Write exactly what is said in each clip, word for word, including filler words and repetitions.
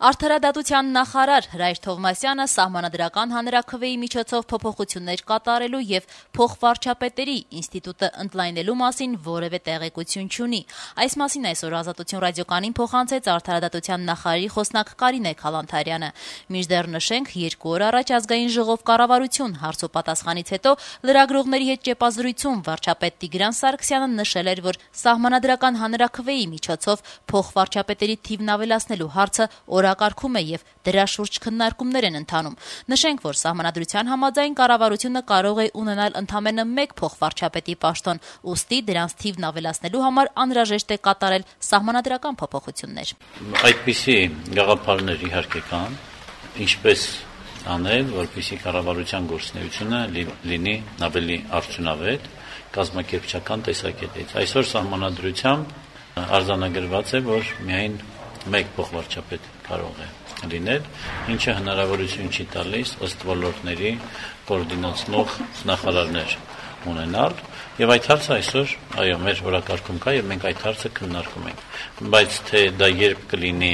Արդարադատության նախարար Հրայր Թովմասյանը սահմանադրական հանրաքվեի միջոցով փոփոխություններ կատարելու եւ փոխվարչապետերի ինստիտուտը ընդլայնելու մասին որևէ տեղեկություն չունի։ Այս մասին այսօր Ազատություն ռադիոկայանին փոխանցեց Արդարադատության նախարարի խոսնակ Կարինե Քալանթարյանը։ Մինչդեռ նշենք, երկու օր առաջ ազգային ժողով կառավարություն հարցոպատասխանից հետո լրագրողների հետ ճեպազրույցում վարչապետ Տիգրան Սարգսյանը նշել էր, որ սահմանադրական հանրաքվեի միջոցով փոխվարչապետերի թիվն ավելացնելու հարցը օրակարգում է եւ դրա շուրջ քննարկումներ են ընթանում։ Նշենք, որ սահմանադրության համաձայն կառավարությունը կարող է ունենալ ընդամենը մեկ փոխվարչապետի պաշտոն, ուստի դրանց թիվն ավելացնելու համար անհրաժեշտ է կատարել սահմանադրական փոփոխություններ։ Այդպիսի գաղափարներ իհարկե կան, ինչպես անել, որպեսզի կառավարության գործունեությունը լինի ավելի արդյունավետ կազմակերպչական տեսակետից։ Այսօր սահմանադրությամբ արձանագրված է, որ միայն մեկ փոխվարչապետ կարող է լինել, ինչը հնարավորություն չի տալիս ըստ ոլորտների կոորդինացնող նախարարներ ունենալ, եւ այդ հարցը այսօր այո մեր օրակարգում կա եւ մենք այդ հարցը քննարկում ենք, բայց թե դա երբ կլինի,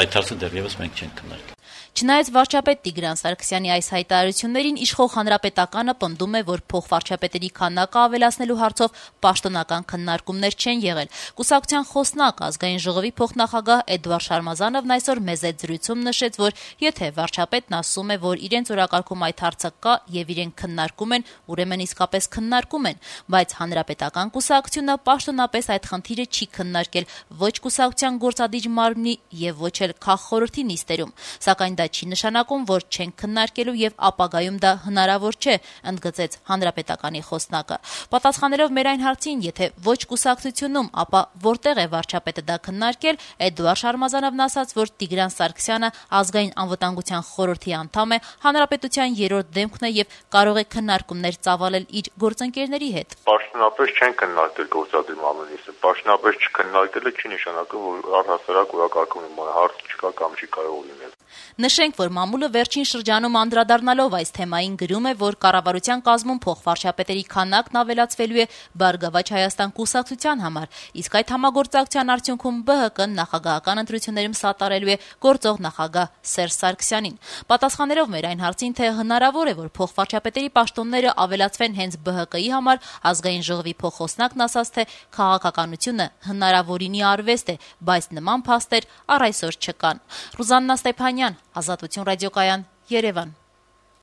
այդ հարցը դեռևս մենք չենք քննարկել։ Չնայած վարչապետ Տիգրան Սարգսյանի այս հայտարարություններին իշխող Հանրապետականը պնդում է, որ փոխվարչապետերի քանակը ավելացնելու հարցով պաշտոնական քննարկումներ չեն եղել։ Կուսակցության խոսնակ ազգային ժողովի փոխնախագահ Էդվարդ Շարմազանովն այսօր մեզ հետ զրույցում նշեց, որ եթե վարչապետն ասում է, որ իրենց օրակարգում այդ հարցը կա եւ իրենք քննարկում են, ուրեմն իսկապես քննարկում են, բայց Հանրապետական կուսակցությունը պաշտոնապես այդ խնդիրը չի քննարկել ոչ կուսակցության գործադիր մարմնի եւ ոչ էլ քաղխորհրդի նիստերում, սակայն դա չի նշանակում, որ չեն քննարկելու եւ ապագայում դա հնարավոր չէ, ընդգծեց Հանրապետականի խոսնակը։ Պատասխանելով մեր այն հարցին, եթե ոչ կուսակցությունում, ապա որտեղ է վարչապետը դա քննարկել, Էդվարդ Շարմազանովն ասաց, որ Տիգրան Սարգսյանը ազգային անվտանգության խորհրդի անդամ է, հանրապետության երրորդ դեմքն է եւ կարող է քննարկումներ ծավալել իր գործընկերների հետ։ Պաշտոնապես չեն քննարկել գործադիր մարմնի, պաշտոնապես չքննարկելը չի նշանակում, որ առհասարակ օրակարգում հարց չկա կամ չի կարող լինել։ Նշենք, որ մամուլը վերջին շրջանում անդրադառնալով այս թեմային գրում է, որ կառավարության կազմում փոխվարչապետերի քանակն ավելացվելու է Բարգավաճ Հայաստան կուսակցության համար, իսկ այդ համագործակցության արդյունքում Բ Հ Կ-ն նախագահական ընտրություններում սատարելու է գործող նախագահ Սերժ Սարգսյանին։ Պատասխանելով մեր այն հարցին, թե հնարավոր է, որ փոխվարչապետերի պաշտոնները ավելացվեն հենց Բ Հ Կ-ի համար, ազգային ժողովի փոխխոսնակն ասաց, թե քաղաքականությունը հնարավորինի արվեստ է, բայց նման փաստեր առ այսօր չկան։ Ռուզաննա Ստեփանյան, Ազատություն ռադիոկայան, Երևան։